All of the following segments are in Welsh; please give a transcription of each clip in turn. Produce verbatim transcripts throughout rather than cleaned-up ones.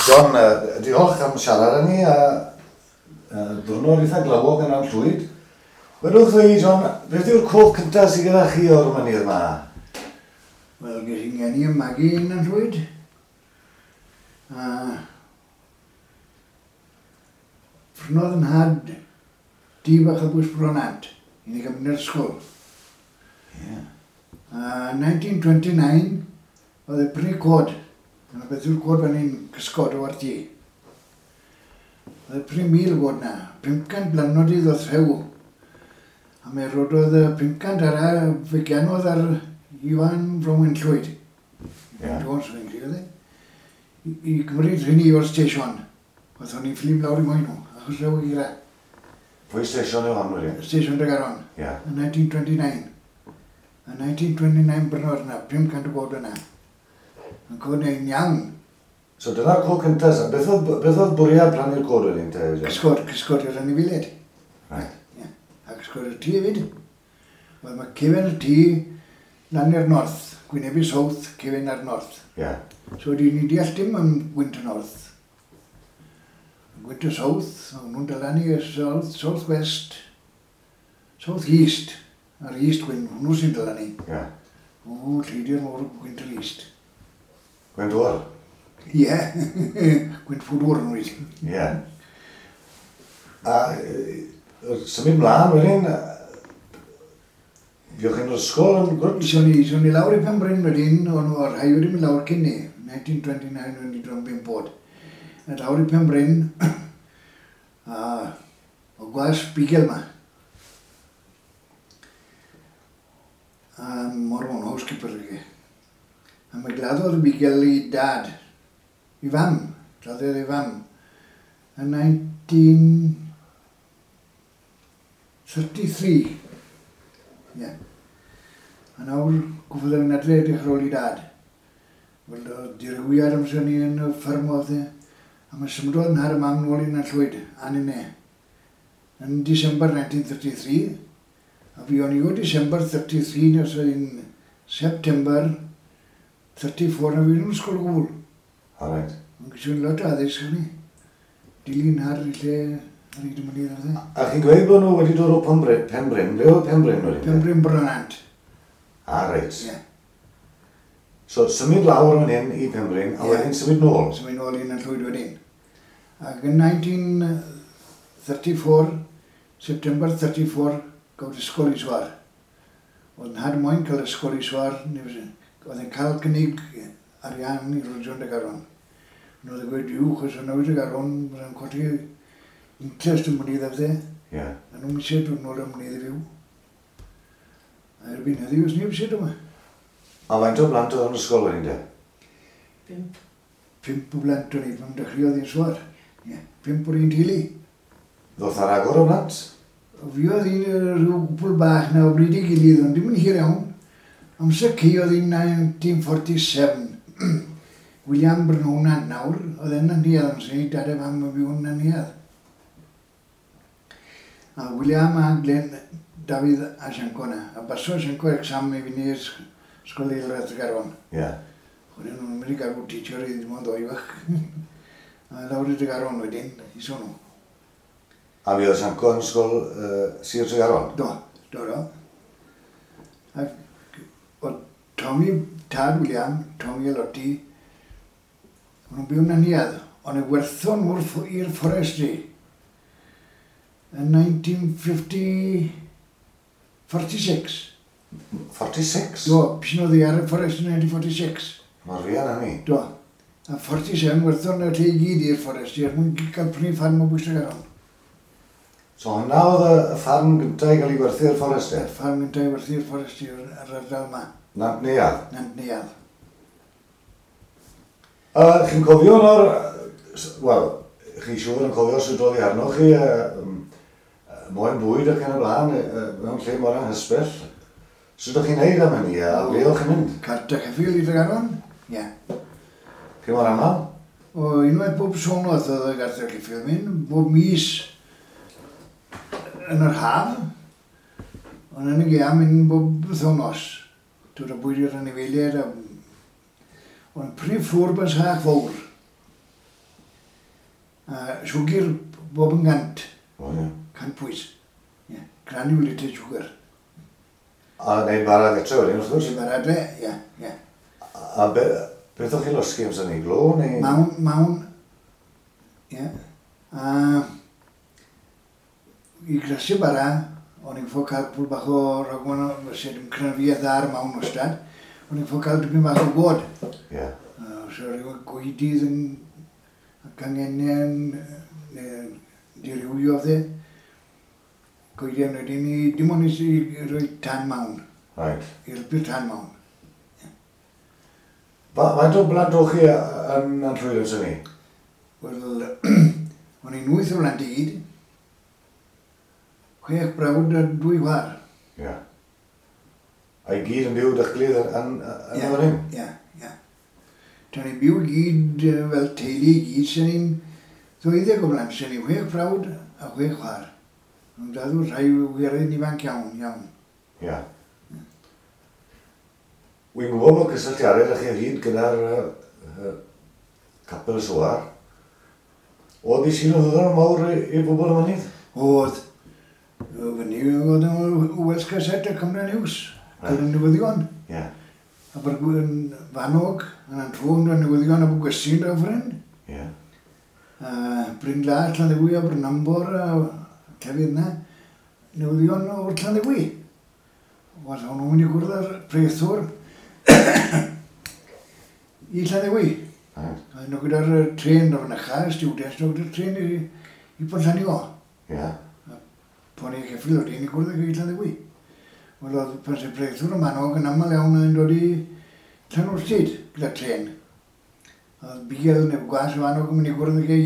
John, uh, diolch am siarad â ni a uh, diwrnod eitha glawog yn Nantllwyd. Wedwch chi, John, beth yw'r cof cyntaf sydd gyda chi o'r mynydd yma? Wel, ges i'n geni ym magu yn Nantllwyd. A prynodd yn nhad dŷ bach o bwys Bronant i ni gael mynd i'r ysgol. Yeah. A nineteen twenty-nine, oedd e prynu cod. Yna beth yw'r cod fan hyn, cysgod o'r tŷ. Oedd e prynu mil god na, pum cant blannodydd o rhew. A me rododd y pum cant ar fe ganodd ar Iwan Bronwen Llwyd. Ie. Jones, fi'n credu oedd e. I, i gymryd rhywun o'r station. Oedd o'n i'n fflim lawr i moyn nhw, achos rhew i gyda. Pwy station yw hon wedyn? Station Tregaron. Ie. Yn nineteen twenty-nine. Yn nineteen twenty-nine brynodd yna, pum cant o god yna. Yn cod neu'n iawn. So dyna'r cof cyntaf. Beth oedd, beth oedd bwriad plannu'r cod wedyn te, John? Cysgod, cysgod i'r anifeiliaid. Right. Ie. A cysgod y tŷ hefyd. Wel, mae cefen y tŷ lan i'r north. Gwynebu south, cefen ar north. Ie. So di ni deall dim am gwynt y north. Gwynt y south, o'n nhw'n dala ni y south, south west, south east, a'r east wind, hwnnw sy'n dala ni. Ie. O, lleidi'r môr, gwynt yr east. Gwynt oer? Ie, gwynt ffwdwr yn wedi. Ie. A e, symud mlaen wedyn, yy, fuoch chi'n yr ysgol yn gwrdd? Ison ni, ison ni lawr i Penbryn wedyn, o'n nhw, rhai wedi mynd lawr cyn ni, nineteen twenty-nine wedi dod yn bump oed. A lawr i Penbryn, a o gwas bigel ma. A Mormon housekeeper i. A mae gladdodd y bigel i dad, i fam, gladdodd i fam, yn nineteen thirty-three. Ie. Yeah. A nawr, gwybod yn adre edrych ar ôl i dad. Wel, oedd dirywiad amser ni yn y fferm oedd e. A mae symudodd yn nhad a mam nôl i Nantllwyd, a ninne. Yn December nineteen thirty-three. A fi o'n i o December thirty-three nes oedd yn September thirty-four na fi yn ysgol o gwbl. O, reit. Ond gyda lot o addysg o'n i. Dilyn ar y lle ar hyd y mynydd oedd e. A chi'n gweud bod nhw wedi dod o Penbryn, Penbryn, ble oedd Penbryn wedyn? Penbryn Bronant. Ah, reit. Ie. So, symud lawr fan hyn i Penbryn, a Ie. wedyn symud nôl. Symud nôl i Nantllwyd wedyn. Ac yn nineteen thirty-four, September thirty-four, gawd ysgol i Soar. Oedd nhad moyn cael ysgol i Soar, oedd yn cael cynnig arian i Rojon Tregaron. Ond oedd yn gweud, yw, chos o'n newid Tregaron, byddai'n codi interest yn mynydd afdde. Ie. A nhw'n eisiau dod nôl ym mynydd i fyw. A erbyn heddiw, os neb eisiau dod yma. A faint o blant oedd yn ysgol wedyn de? Pump. Pump o blant o'n i, pan dechreuodd i'n Soar. Ie, pump o'r un teulu. Ddoth ar agor o blant? Fi oedd un rhyw gwpl bach na o bryd i gilydd, ond dim yn hir iawn. Amser ci oedd hi'n nineteen forty-seven. William Brynhwnan nawr, oedd e'n Nanteudd amser ni, dad a fam yn byw yn Nanteudd. A William a Glenn, Dafydd a Sianco na. A baso Sianco exam i fynd i'r ysgol eilradd Tregaron. Ie. Wedyn nhw'n mynd i gadw teacher i ddim ond ddoi fach. A lawr i Tregaron wedyn, i sôn nhw. A fi oedd Sianco yn ysgol uh, Sir Tregaron? Do, do, do. Ac oedd Tommy, tad William, Tommy a Lottie, o'n nhw'n byw yn Nanteudd, ond y werthon nhw'r ff- i'r forestry yn nineteen fifty, forty-six. forty-six? Do, pysyn oedd hi ar y forestry yn nineteen forty-six. Mor fuan hynny. Do. A forty-seven werthon y lle i gyd i'r forestry er mwyn cael prynu ffarm o bwys Tregaron. So hwnna oedd y, y ffarm gyntaf i gael ei gwerthu i'r forester? Ffarm gyntaf i werthu i'r forestry ar yr ardal yma, Nant Neuadd? Nant Neuadd. A chi'n cofio o'r... Wel, chi siŵr yn cofio sut oedd hi arnoch chi, uh, um, moyn bwyd ac yn y blaen, uh, mewn lle mor anghysbell. Sut o'ch chi'n neud am hynny, a ble o'ch chi'n mynd? Cart a cheffyl i Tregaron? Ie. Chi mor aml? O, unwaith bob wythnos oedd y gart a cheffyl mynd, bob mis yn yr haf, ond yn y gaeaf mynd bob wythnos. Dod â bwyd i'r anifeiliaid a... Ond prif ffwr bys hach fawr. siwgr bob yn gant. O, ie. Cant pwys. Ie. Granulated sugar. A wneud bara gytre wedyn, wrth gwrs? Wneud bara adre, ie, ie. A be, beth o'ch chi losgi amser ni? Glo neu? Mawn, mawn. Ie. A i grasu bara, o'n i'n ffo cael pwl bach o ragwan, fyse dim cryfiaeth dda ar mawn wastad, o'n i'n ffo cael dipyn bach o god. Ie. So rhyw gwydydd yn cangennau yn dirywio dde. Goedion wedyn i, dim ond i roi tan mawn. Right. I helpu'r tan mawn. Faint o blant o'ch chi yn yn llwyd amser ni? Wel, o'n i'n wyth o blant i gyd. Chwech brawd a dwy chwaer. Ie. A i gyd yn byw da'ch gilydd yn yn fan hyn? Ie, ie. Do'n i'n byw i gyd fel teulu i gyd, sy'n ni'n ddwyddeg o blant, sy'n ni'n chwech brawd a chwech chwaer. Ond dadw rhai wirioedd ifanc iawn, iawn. Ie. Wy'n gwybod bod cysylltiadau â chi o hyd gyda'r uh, capel Soar. Oedd i sy'n o ddiddorol mawr i bobl y mynydd? Oedd. Fyny oedd yn Welsh Gazette a Cymru News. Cael y newyddion. Ie. Abergwyn Fanog, yn Antrôn, y newyddion Abergwesyn draw ffrind. Ie. Bryn Las, Llanddewi a Brynambor a llefydd yna. Newyddion o'r Llanddewi. Wel, o'n nhw'n mynd i gwrdd â'r preithwr i Llanddewi. Right. A nhw gyda'r tren o'r fynycha, students, nhw gyda'r tren i, i Ponllanio. Ie. A poni ceffyl wedyn i gwrdd ag i Llanddewi. Wel, oedd pan sy'n preithwr y Manog yn aml iawn yn dod i Llanwrtyd gyda'r tren. Oedd bugail neu gwas y Manog yn mynd i gwrdd ag i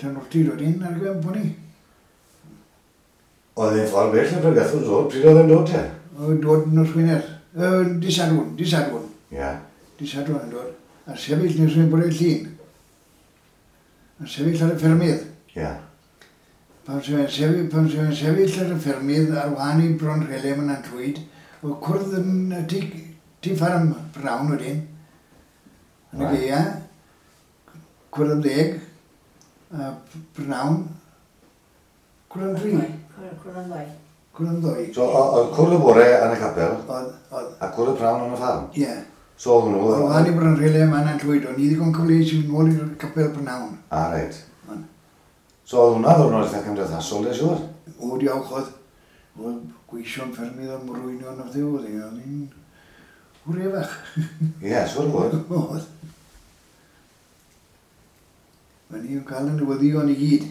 Llanwrtyd wedyn ar gyfer poni. Oedd e'n ffordd bell yn pregethwr dod? Pryd oedd e'n dod te? Oedd dod nos Wener. Dydd Sadwrn, dydd Sadwrn. Ie. Dydd Sadwrn yn dod. A sefyll nes o'n bore llun. A sefyll ar y ffermydd. Ie. Pan sy'n sefyll, pan sy'n sefyll ar y ffermydd ar wahân i Bron Rhelem yn Antrwyd, oedd cwrdd yn tŷ, tŷ ffarm Brown wedyn. Yn y gaea, cwrdd am ddeg, a Brown, cwrdd am dri. Cwrdd am ddoi. Cwrdd am ddoi. So, oedd cwrdd y bore yn y capel, Oedd, oedd. a cwrdd y prawn yn y ffarm? Ie. So oedd hwnnw... Ar wahân i Bron Rhelem yn Antrwyd, o'n i ddigon cyfleus i fynd nôl i'r capel Brynawn. A, reit. So oedd hwnna ddwrnod eitha cymdeithasol, de siŵr? O, diolch oedd. Oedd gweision ffermydd a mrwynion o'r ddiw, oedd hi'n hwrefach. Ie, siŵr bod. Oedd. Mae ni'n cael y newyddion i gyd.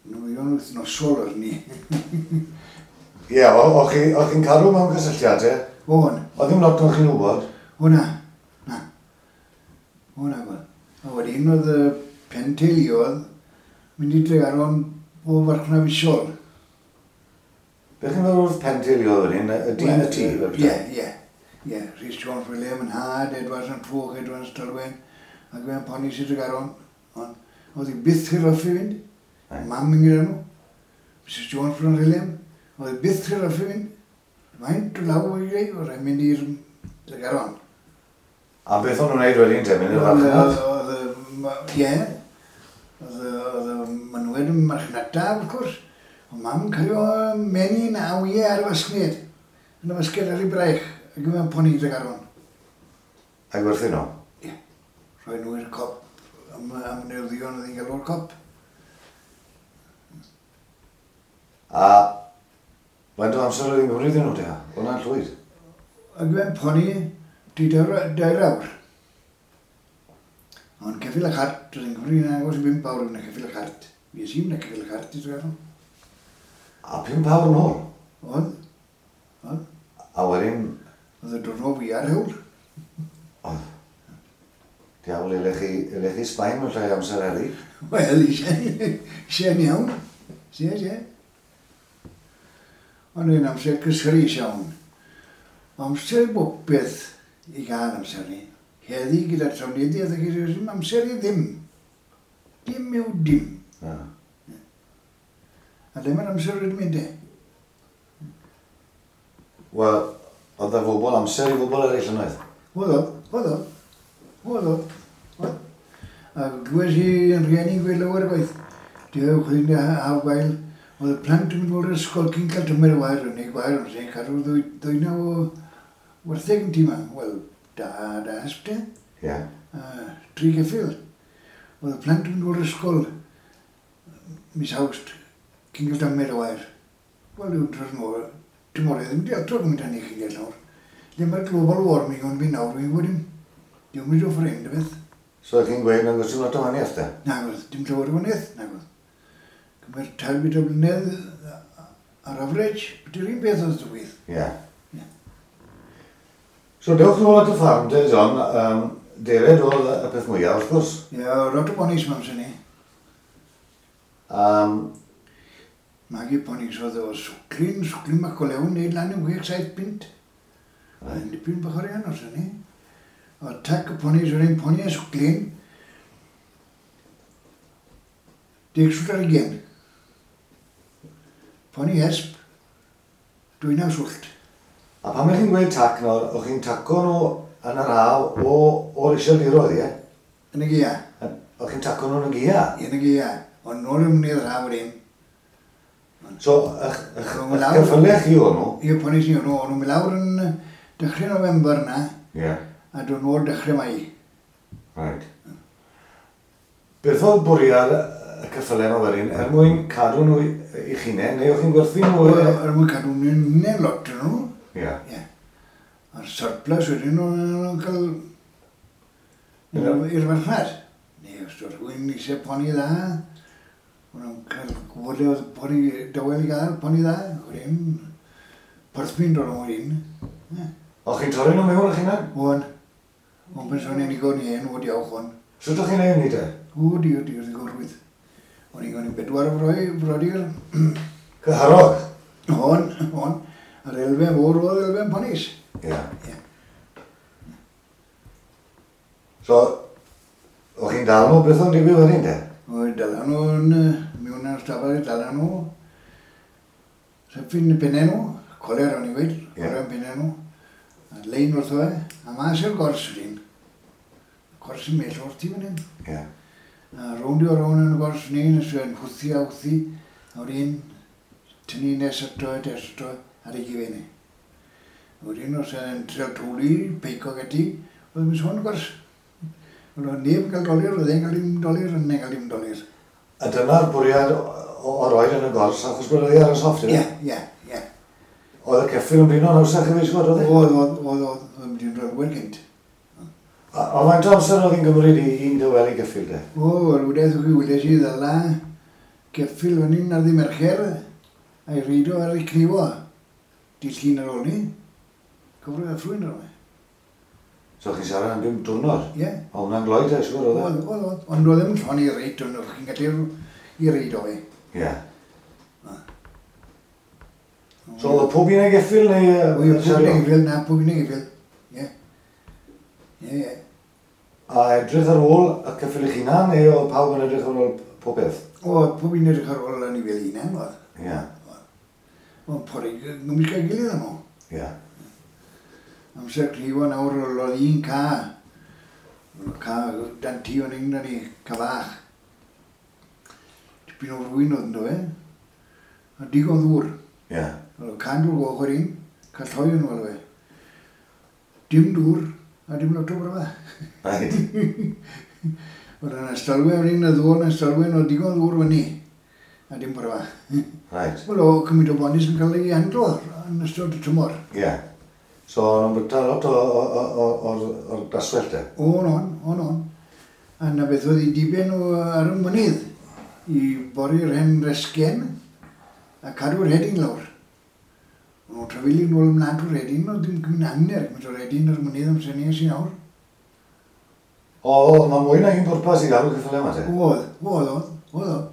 Newyddion wythnosol oedd ni. Ie, o'ch chi'n cadw mewn cysylltiad, e? O'n. Oedd ddim lot o'n chi'n wybod? O na, na. O na, gweld. A wedyn oedd y pen teuluodd mynd i Dregaron o farchnad fisol. Beth chi'n feddwl wrth pen teuluodd wedyn? Y dyn y tŷ? Ie, ie. Ie, Rhys Jones William yn nhad, Edwards yn Trwch, Edwards Talwen, ac fe'n poni sydd Tregaron. Ond oedd hi byth i'r raffu fynd. Mam yn gyda nhw. Missus Jones Bron William. Oedd hi byth i'r raffu fynd. Faint o law o'i greu, oedd e'n mynd i'r Tregaron. A beth o'n nhw'n gwneud wedyn te, mynd i'r farchnad? Oedd, ie. Oedd y mynwed yn marchnata, wrth gwrs. Oedd mam yn cario menyn a wyau ar y fasgned. Yn y fasged ar ei braich, ac yn poni Tregaron. A gwerthu nhw? Ie. Rhoi nhw i'r cop, am, am newyddion oedd hi'n gael o'r cop. A faint o amser oedd hi'n gymryd iddyn nhw te? Hwnna'n llwyd? Ac fe'n poni di dair awr. Ond ceffyl y cart, oedd hi'n cymryd yn agos i bump awr yn y ceffyl y cart. Fi es i'n y ceffyl y cart i Tregaron. A pump awr yn ôl? Oedd. Oedd. A wedyn... Oedd y diwrnod fwy ar hewl. Oedd. Diawl, elech chi, elech chi Sbaen mewn llai amser heddi? Wel, eisiau'n iawn. Sie, sie. Ond yn amser cysurus iawn. Amser i bopeth i gael amser ni. Heddi gyda'r trafnidiaeth ac gyda'r amser i ddim. Dim yw dim. Na. A le mae'r amser wedi mynd e? Wel, oedd y bobl amser i bobl eraill yn oedd? Oedd oedd, oedd oedd, oedd oedd. A glywes i yn rhieni'n gweud lawer gwaith. Dewch i'n haf gwael. Oedd y plant yn mynd o'r ysgol cyn cael tymer y wair, neu gwair, ond sy'n cadw ddwynaw o wartheg yn tîm. Wel, da, da hesp te. Ie. Yeah. A tri geffyl. Oedd y plant yn mynd o'r ysgol mis Awst cyn cael tymer y wair. Wel, yw'n dros nôl, tymor e ddim di altro gymaint hynny chi'n deall nawr. Lle mae'r global warming ond fi nawr, fi'n gwybod dim. Diw'n mynd o ffrind, y beth. So chi'n gweud nag oes dim lot o wahaniaeth te? Nag oedd, dim llawer o wahaniaeth, nag oedd. Cymer tair byd o blynedd ar average, beth yw'r un beth oedd digwydd. Ie. Yeah. So dewch nôl at y ffarm te, John. Um, defaid oedd y peth mwyaf, wrth gwrs. Ie, yeah, lot o bonis mam sy'n ni. Um, Magu ponis oedd o swclin, swclin bach go lewn, neud lan i wech saith punt. Oedd yn dipyn bach o'r arian os ni. O tac y ponis oedd un poni a swclin, deg swllt ar ugain. Poni hesp, dwynaw swllt. A pan ych chi'n gweud tac nawr, o'ch chi'n taco nhw yn yr haf o, o'r iseldiroedd, ie? Yn y gaea. O'ch chi'n taco nhw yn y gaea? Yn y gaea. Ond nôl ym mynydd yr haf wedyn. So, ych, ych, ych ceffylau chi o'n nhw? Ie, ponis ni o'n nhw. O'n nhw'n mynd lawr yn dechrau November na. Ie. A dod nôl dechrau Mai. Right. Beth oedd bwriad y ceffylau yma wedyn, er mwyn cadw nhw i'ch hunain, neu o'ch chi'n gwerthu nhw? Er mwyn cadw nhw'n hunain lot yn nhw. Ie. Ie. A'r surplus wedyn nhw'n cael i'r farchnad. Neu os oedd rhywun eisiau poni dda, o'n nhw'n cael gwybod le oedd poni dawel i gael, poni dda, wedyn porthmyn dod o'n wedyn. O'ch chi'n torri nhw mewn o'ch hunain? O'n. O'n person i'n igon i hen, o diolch o'n. Sut o'ch chi'n neud hynny te? O, di, o, di, oedd yn gorwydd. O'n i'n igon i bedwar o froi, brodyr. Cyharog? O'n, o'n. A'r elfen fawr oedd elfen ponis. Ie. Ie. So, o'ch chi'n dal nhw, beth o'n digwydd wedyn te? Oedd dala nhw'n mewn ar stafell, dala nhw. Syffin pennau nhw, coler o'n i weid, coler yn pennau nhw. A lein wrtho e, a mas i'r gors wedyn. Gors yn mell o'r tŷ fan hyn. Ie. A rownd i o rownd yn y gors ni, nes yn hwthi a hwthi, a wedyn tynnu nes ato, nes ato, ar ei gifen. Wedyn os yn trial twli, peico gati, oedd yn sôn gors. Oedd neb yn cael dolir, oedd e'n cael dim dolir, oedd e'n cael dim dolir. A dyna'r bwriad o roed yn y gors, achos bod oedd e ar y sofft, ie? Ie, ie, ie. Oedd y ceffyl yn blino yn hawsach i fi, oedd e? Oedd, oedd, oedd, oedd, oedd yn blino'n wel gynt. A, a faint o amser oedd hi'n gymryd i un dywel i geffyl de? O, yr wydeth o'ch chi wyles i ddala geffyl fan hyn ar ddi Mercher, a'i reido ar ei cnifo. Dydd Llun ar ôl ni, cyfro a ffrwyn ar ôl. So chi'n siarad am bum diwrnod? Ie. O, hwnna'n gloi te, siŵr oedd e? Oedd, oedd, oedd. Ond oedd ddim llon i reit, ond o'ch chi'n gallu i reid o fe. Ie. So oedd pob un ei geffyl neu... Oedd pob un ei geffyl, na, pob un ei geffyl. Ie. Ie, ie. A edrych ar ôl y ceffyl eich hunan, neu oedd pawb yn edrych ar ôl pob peth? O, pob un edrych ar ôl yn ei fel hunan, oedd. Ie. Oedd pori gymysg â'i gilydd yno. Ie. Amser cnifo nawr oedd un ca. Ca dan tŷ o'n un ni, ca fach. Tipyn o rwyn oedd ynddo fe. A digon ddŵr. Ie. Oedd can dŵr goch o'r un, ca lloi yn ôl fe. Dim dŵr, a dim lot o bryfa. Right. Oedd yna stalwe o'r un, y ddŵr yna stalwe, oedd digon ddŵr fyny. A dim bryfa. Right. Wel, o cymaint o bonis yn cael ei handlo yn ystod y tymor. Ie. Yeah. So, o'n nhw'n bwyta lot o'r daswellt te? O'n, o'n, o'n, o'n. A na beth oedd ei diben o ar y mynydd, i bori'r hen resgen a cadw'r hedyn lawr. O'n nhw'n trafeili nôl ymlaen trwy'r hedyn, oedd dim cymryd hanner gymaint o'r hedyn ar y mynydd amser ni sy'n nawr. O, mae mwy na un pwrpas i gadw ceffylau yma te? Oedd, oedd, oedd, oedd, oedd.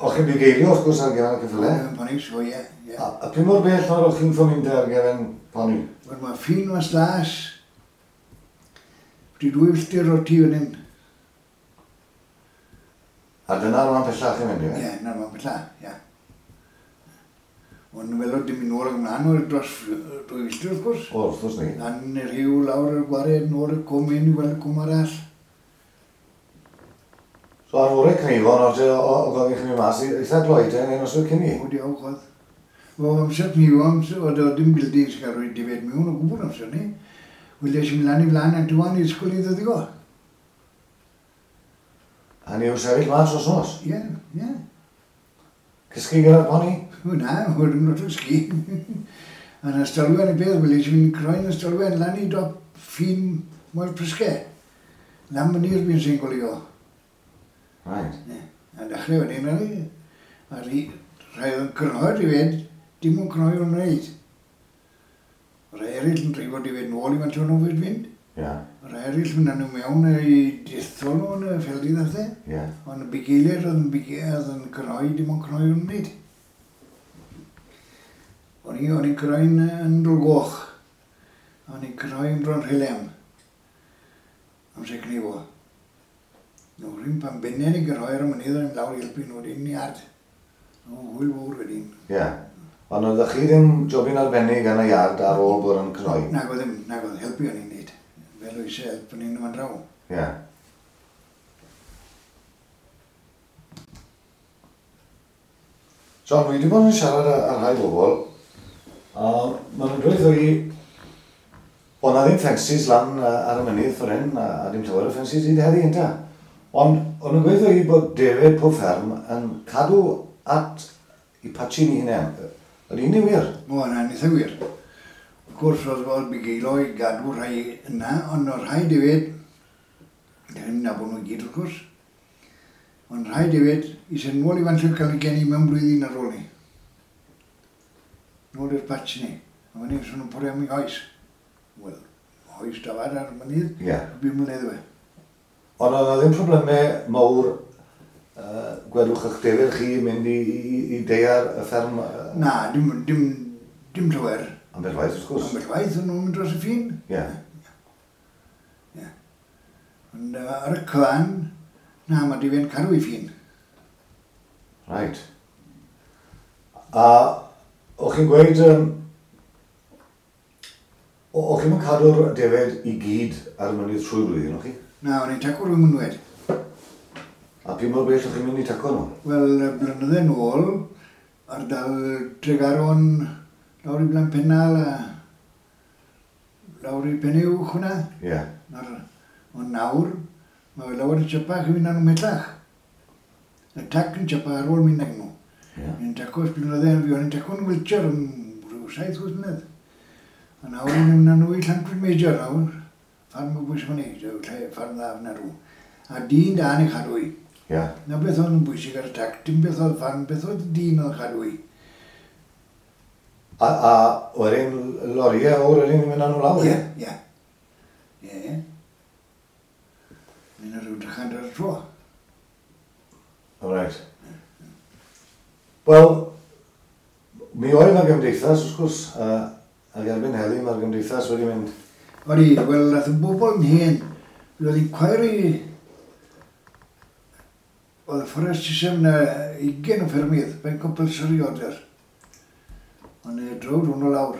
O'ch chi'n bugeilio wrth gwrs ar gefn y ceffylau? Yn ponis, o ie, ie. A, a pwy mor bell nawr o'ch chi'n ffo mynd ar gefn poni? Wel, mae ffin mas las. Wedi dwy filltir o'r tŷ fan hyn. A dyna'r man pellach chi'n mynd, ie? Ie, na'r man pellach, ie. Ond fel oedd dim mynd nôl ag ymlaen o'r dros dwy filltir wrth gwrs. O, wrth gwrs ni. Lan i'r rhiw, lawr i'r gwared, nôl i'r cwm hyn i weld y cwm arall. So ar fore cnifo, nawr o, o gofyn chi mynd mas i eitha gloeden neu noswyl cyn i? O, diolch oedd. O, amser cnifo, amser, oedd o dim buildings gael rhoi defed mewn o gwbl amser ni. Wel, es i mlaen i flaen a dwan i ysgol i ddyddigo. A ni yw sefyll mas os nos? Ie, ie. Cysgu gyda'r poni? O, na, oedd yn lot o sgi. A'n ystolwen i beth, wel, es i mynd croen ystolwen lan i dop ffin Moel Prysge. Lan mynydd fi'n sy'n golio. Right. Yeah. A dechrau wedyn, a ni, a ri, rhai oedd yn cynhoi rhywed, dim ond cynhoi o'n wneud. Rhai eraill yn dreifo defed nôl i fan nhw'n fyd fynd. Yeah. Rhai eraill mynd â nhw mewn i dethol nhw yn y ffeldydd a pethau. Yeah. Ond y bugeiliaid oedd yn bugeiliaid oedd yn cynhoi, dim ond cynhoi o'n wneud. O'n i, o'n i'n cynhoi'n yn Dolgoch. O'n i'n cynhoi yn Bron Rhylem. Amser cnifo. Nawr un pan bennau ni gyrhoi'r y mynydd o'n i'n lawr i helpu nhw wedyn i ard. O, hwyl fawr wedyn. Ie. Yeah. Ond oeddech chi ddim jobyn arbennig yn y iard ar ôl bod yn cnoi? Nag oedd ddim, nag oedd, helpu o'n i'n neud. Fel o eisiau helpu ni'n fan draw. Ie. Yeah. John, wi wedi bod yn siarad â rhai bobl, a maen nhw'n dweud i bod na ddim ffensys lan ar y mynydd ffordd hyn, a, a dim llawer o ffensys hyd heddi ynta. Ond o'n nhw'n gweud i bod defed pob fferm yn cadw at i patchin i hunain. Ydy hynny wir? O, na, yn eitha wir. Wrth gwrs, oedd oedd bugeilo i gadw rhai yna, ond oedd rhai defed, ddim nabod nhw i gyd wrth gwrs, ond rhai defed i sy'n nôl i fan lle cael ei geni mewn blwyddyn ar ôl ni. Nôl i'r patch ni. A fan hyn, swn nhw'n pori am ei oes. Wel, oes dafad ar y mynydd, yeah. Bum mlynedd we. Ond oedd ddim problemau mawr, uh, gwedwch eich defed chi mynd i, i, i deiar y fferm? Uh... Na, dim, dim, dim llawer. Ambell waith, wrth gwrs. Ambell waith, o'n nhw'n mynd dros y ffin. Ie. Yeah. Yeah. Ond uh, ar y cyfan, na, mae defed'n cadw i ffin. Right. A o'ch chi'n gweud, um, o'ch chi'n cadw'r defed i gyd ar y mynydd trwy blwyddyn, o'ch chi? Na, o'n i'n tacw rhywun mynwed. A pwy mor bell o'ch chi'n mynd i tacw nhw? Wel, blynydde nôl, ardal Tregaron, lawr i Blaen Pennal a lawr i Penyw hwnna. Ie. Yeah. Ond nawr, mae lawer yn siapach i fynd â nhw mellach. Y tac yn siapach ar ôl mynd ag nhw. Yeah. Ni'n tacw ers blynydde, fi o'n i'n tacw'n Wiltshire am rhyw saith wyth mlynedd. A nawr ni'n mynd â nhw i Llantwit Major nawr. Ffarm o bwys fan i, ffarm dda fyna rhyw. A dyn da yn ei chadw i. Yeah. Na beth oedd yn bwysig ar y tac, dim beth oedd ffarm, beth oedd dyn oedd chadw i. A, a wedyn loriau o'r wedyn yn mynd â nhw lawr? Ie, ie. Ie, ie. Mynd â rhyw drychant ar y tro. All right. Wel, mi oedd yna gymdeithas, wrth gwrs, uh, ac erbyn heddi mae'r gymdeithas wedi mynd. Odi, wel, nath y bobl yn hen, mi oedd hi'n cwair i... Oedd y fforest system na ugain o ffermydd, fe'n compulsory order. Ond e drowd hwnnw lawr.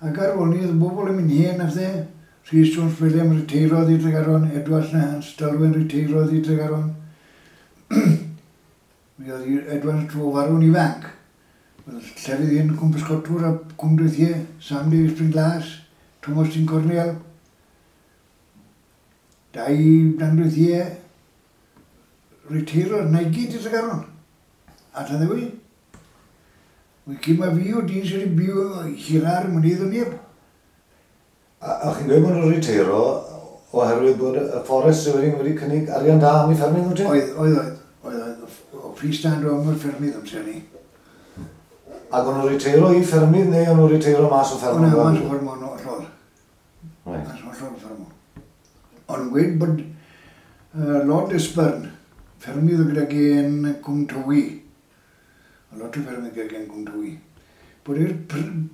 Ac ar ôl ni, oedd y bobl yn mynd hen a pethau. Rhys Jones William reteirodd i Tregaron, Edwards na Hans Dalwyn reteirodd i Tregaron. Mi oedd Edwards tro farw'n ifanc. Oedd llefydd hyn Cwm Pysgotwr a Cwm Dwythie, Sam Davies Bryn Glas, Thomas Dyn Cornel, dau Dan Dwythie, reteirodd na i gyd i Tregaron. A ta ddewi. Wy cyn ma fi o dyn sydd wedi byw hira'r mynydd o neb. A, a chi'n gweud bod nhw'n reteiro oherwydd bod y fforest sydd wedi, wedi cynnig arian da am eu ffermydd nhw te? Oedd, oedd, oedd. Oedd, oedd. O freestand o am y ffermydd amser ni. Ac o'n nhw'n reteiro i ffermydd neu o'n nhw'n reteiro mas o ffermydd? O na, mas o ffermydd o'n hollol. Right. Mas o hollol ffermydd. O'n gweud bod uh, Lord Lisburn, ffermydd o gyda gen Cwm Tywi, a lot o ffermydd gyda gen Cwm Tywi, bod,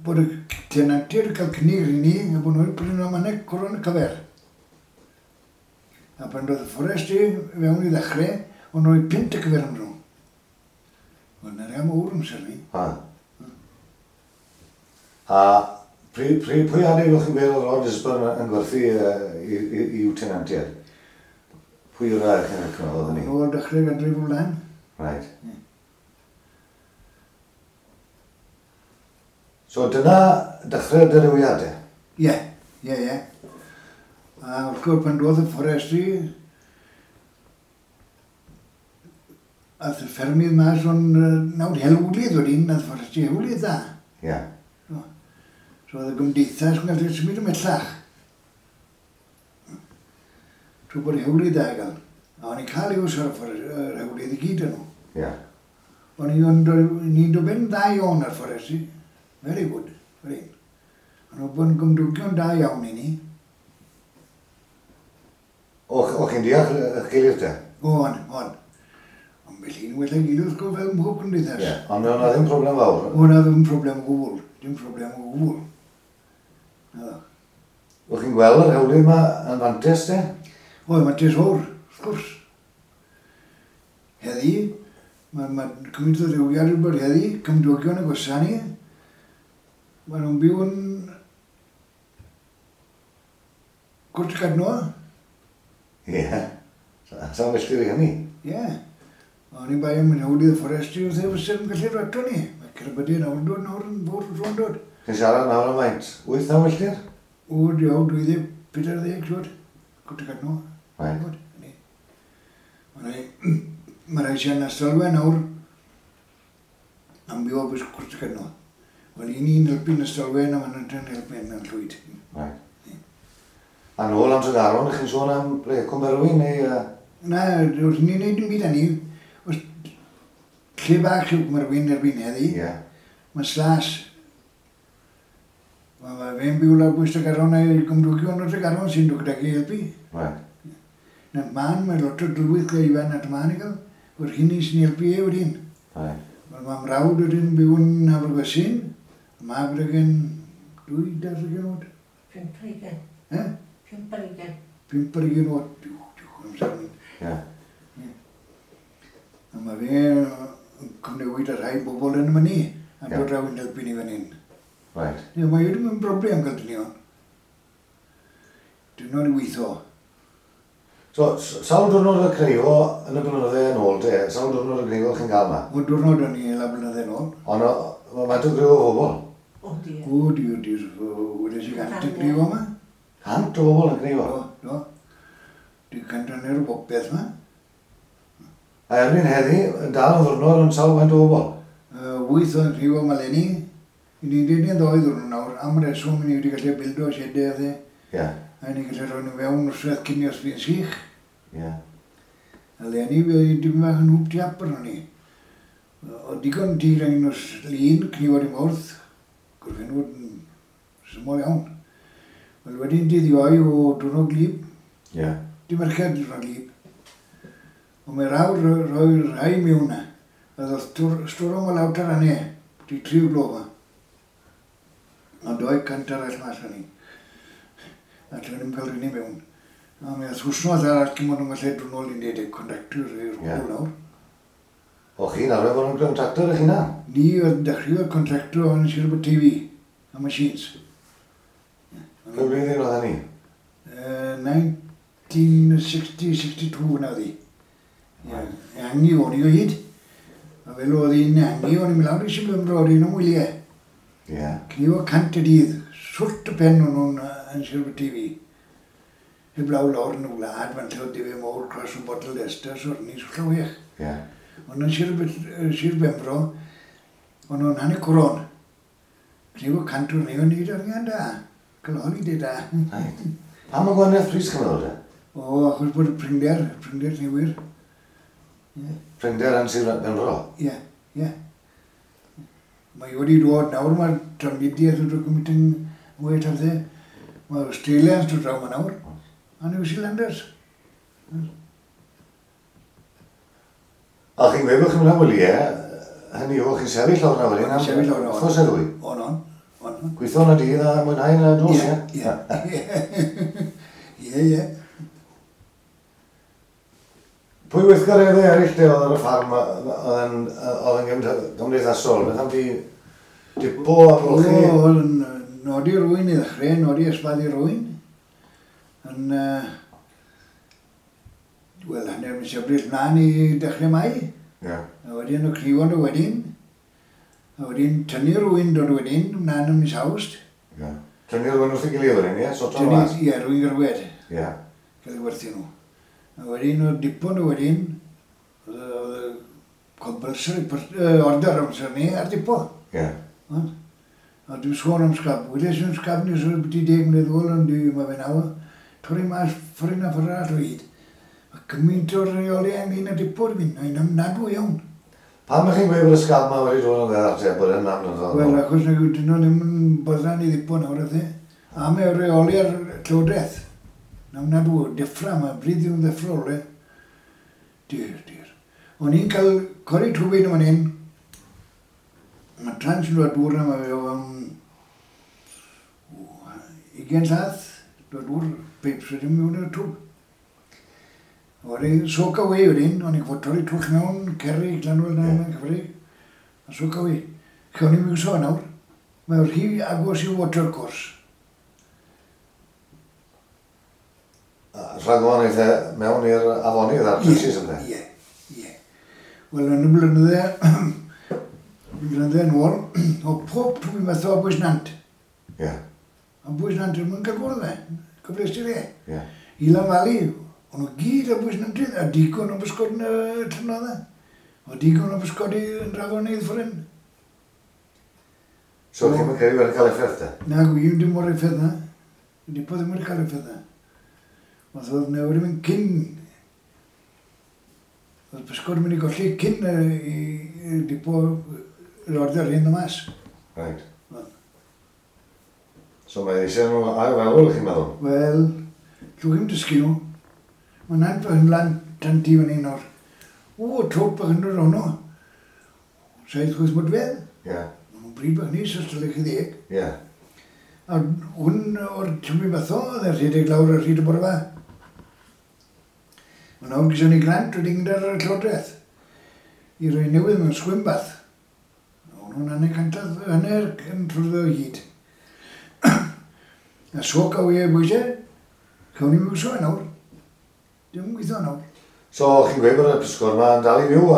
bod y tenantiaid yn cael cynnig i ni, a bod nhw'n prynu am hanner coron y cyfer. A pan doedd y fforest i fewn i ddechrau, o'n rhoi pint y cyfer am nhw. Wel, na'r am awr amser ni. Ha. A pry, pry, pwy adeg o'ch chi'n gweud oedd Lord Lisburn yn gwerthu uh, i'w tenantiaid? Hwyrach yn y cyfnod oedd hynny? Yn ôl dechrau ganrif o flaen. Right. Yeah. So dyna dechrau'r dirywiadau? Ie, ie, ie. A wrth gwrs pan doedd y fforestry, ath y ffermydd mas o'n nawr hewlydd wedyn, ath fforestry hewlydd dda. Ie. Yeah. So, so oedd y gymdeithas yn gallu symud ymhellach. Trwy bod hewlydd dda i gael. A o'n i'n cael iws ar y hewlydd i gyd yn nhw. Ie. Yeah. O'n i'n dod ben dda iawn ar fforestry. Very good, very. O'n nhw bod yn gymdogion da iawn i ni. O, o chi'n deall eich gilydd te? O'n, o'n. Ond felly yn well ei gilydd wrth gwrs fel mhob cymdeithas. Ie, ond o'na ddim problem fawr? O'na ddim problem o gwbl, dim problem o gwbl. Naddo. O chi'n gweld yr hewlydd yma yn fantes te? O, mantes fawr, wrth gwrs. Heddi, mae ma cymaint o ddiwygiad wedi bod heddi, cymdogion y gwasanaeth ni, maen nhw'n byw yn Cwrt Cadno. Ie, sa'n milltir i hynny. Ie. O'n i'n bai am hewlydd y fforestry wrth ei fysa yn gallu dod ni. Mae cerbydau nawr yn dod, nawr yn fawr yn dod. Chi'n siarad nawr am faint? Wyth naw milltir? O, diawl, dwy ddeg, pedair ddeg, siwr. Cwrt Cadno. Right. Mae rhai sy'n Ystralwen nawr am byw o bwys Cwrt Cadno. Wel, i ni'n helpu'n Ystralwen a maen nhw'n helpu yn Llwyd. Right. A nôl am Tregaron, chi'n sôn am ble, Cwm Berwyn neu... Uh... Na, wrth ni'n neud yn byd â ni, os lle bach yw Cwm Berwyn erbyn heddi, yeah. Mae slas. Mae ma fe'n byw lawr bwys Tregaron a'i gymdogion o Tregaron sy'n dod gydag i helpu. Right. Na, man, mae lot o dylwyth gyda Ifan at man i gael, o'r hynny sy'n helpu e wedyn. Right. Wel, mae mrawd wedyn byw yn Abergwesyn, a mae gydag dwy, dair oed. Pump ar ugain. Eh? Pump ar ugain. Pump ar ugain oed. Diwch, diwch, amser mynd. Ie. A mae fe yn cyfnewid â rhai bobl yn y myny, a dod draw yn helpu ni fan hyn. Right. Ie, mae wedi mynd broblem gael dynion. Dynion i weithio. So, sawl diwrnod y cneifo yn y blynydde yn ôl te? Sawl diwrnod y cneifo chi'n gael yma? O, diwrnod o'n i la blynydde yn ôl. Ond mae faint o griw o bobl? O, diar. O, diar, diar. Wedes i gant y cneifo yma. Cant o bobl yn cneifo? Do, do. Di cant hanner o bopeth yma. A erbyn heddi, yn dal yn ddiwrnod yn sawl faint o bobl? Wyth o'n cneifo yma leni. I ni'n dweud ni'n ddoi ddwrnod nawr, am reswm ni wedi gallu bildo siedau a dde. Ie. A ni'n gallu rhoi nhw fewn wrth cyn i os fi'n sych. Ie. A leni, fe dim bach yn hwb tiap arno ni. O digon tir angen nos lun, cnifod i mawrth, gorffennwyd yn syml iawn. Wel wedyn dydd Iau o diwrnod gwlyb. Ie. Dim Mercher diwrnod gwlyb. Ond mae rawr rhoi rhai mewn na. A ddoth stwrwm o lawr taranau, di tri o gloch yma. A doi cant arall mas o'n ni. A ti'n ddim cael rhywun i mewn. A mi oedd wsnos arall cyn bod nhw'n gallu dod nôl i'n dweud contractor i'r hwyl nawr. O chi'n arfer bod yn contractor eich hunan? Ni oedd dechreuodd contractor yn Sir Aberteifi, a machines. Pa blwyddyn oedd hynny? nineteen sixty sixty-two yna oedd hi. Ehangu o'n i o hyd. A fel oedd hi'n ehangu, o'n i'n mynd lawr i Sir Benfro, o'n i'n wyliau. Ie. Cnifo cant y dydd, swrt y pen o'n nhw'n yn Sir Aberteifi. Heblaw lawr yn y wlad, fan lle oedd dife mawr cross yn bottle Leicester, so o'n i'n swllo wech. Ie. Ond yn Sir, Sir Benfro, o'n nhw'n hanner coron. Cnifo cant o'n i'n neud arian da. Cael holiday da. Right. Pam y gwahaniaeth pris chi'n meddwl te? O, achos bod y prinder, prinder newyr. Ie. Prinder yn Sir Benfro? Ie, ie. Mae wedi dod nawr, mae'r trafnidiaeth wedi dod gymaint yn well ar dde. Mae Australians dod draw yma nawr, a New Zealanders. A chi'n gweud bod chi'n mynd am wyliau, hynny yw, chi'n sefyll lawr na wedyn am Sefyll lawr na. Wythnos neu ddwy? On, on. On. Gweithio yn y dydd a mwynhau yn y nos, ie? Ie, ie. Ie, ie. Pwy weithgareddau eraill te oedd ar y ffarm oedd yn, oedd yn gymdeithasol? Beth am di dipo a golchi? O, oedd yn nodi rwy'n i ddechrau, nodi ysbaddu rwy'n. Yn uh, Wel, hanner mis Ebrill mlaen i dechrau Mai. Ie. A wedyn y cnifon o wedyn. A wedyn tynnu'r wyn dod wedyn, mlaen ym mis Awst. Ie. Tynnu'r wyn wrth ei gilydd wedyn, ie? Sorto nhw mas? Ie, rwy'n gyrwed. Ie. Cael ei werthu nhw. A wedyn o dipyn o wedyn, oedd y compulsory order amser ni ar dipo. Ie. A dwi'n sôn am sgab. Wedes i'n sgab nes o'r byti deg mlynedd ôl, ond dwi, mae fe nawr, torri mas ffordd na ffordd arall o hyd. A gymaint o'r reoli ynglyn â dipo dwi'n mynd, mae'n ofnadwy iawn. Pam ych chi'n gweud bod y sgab yma wedi dod yn ddeddar te, bod e'n am dod Wel, achos nag ydyn nhw ddim yn boddran i ddipo nawr, ydyn. A mae reoli ar llywodraeth. Na ofnadwy, deffra, mae bryd yw'n ddeffrol, e. Dir, dir. O'n i'n cael cori twbyn yn fan hyn. Mae trans yn dod dŵr na, mae fe o fewn ugain llath, dod dŵr, peips wedyn mewn i'r twb. Oedden soak away wedyn, o'n i'n gwybod torri twll mewn, cerrig, llanwel na, yeah. Cyfri, a soak away. Lle o'n i'n miwso nawr, mae'n rhy agos i water course. Rhag o'n eitha mewn i'r afonydd a'r trenches ynddo? Ie, ie. Wel, yn y blynydde, blynydde yn ôl, o pob twb i metho a bwys nant. Ie. A bwys nant yn mynd cael gwrdd fe, cyfleus ti fe. Ie. Ilan Valley, o'n nhw gyd a bwys nantydd, a digon o bysgod yn y llynnodd. O digon o bysgod yn drafonydd ffryn. So chi'n mynd credu wedi cael effaith te? Na, gwir dim o'r effaith na. Dipo ddim wedi cael effaith na. Oedd oedd newid yn mynd cyn. Oedd bysgod yn mynd i golli cyn i dipo yr order hyn o mas. Right. So mae eisiau nhw ail feddwl, chi'n meddwl? Wel, llwch chi'n dysgu nhw. Mae nant fy hynlan tan ti fan hyn o'r... O, trwp bach yn dod ono. Saith chwyth modfedd. Ie. Maen nhw'n bryd bach nis os dylech chi ddeg. Ie. A hwn o'r tymru batho, oedd e'n rhedeg lawr ar hyd y bore fa. Mae nawr gyda ni grant wedi gyda'r llywodraeth i roi newydd mewn swim bath. O'n nhw'n hanner cantaf, hanner yn trwyddo o hyd. A soak away y bwysau, cawn ni'n miwso nawr. Dim yn gweithio nawr. So, chi'n gweud bod y pysgod yma yn dal i fyw,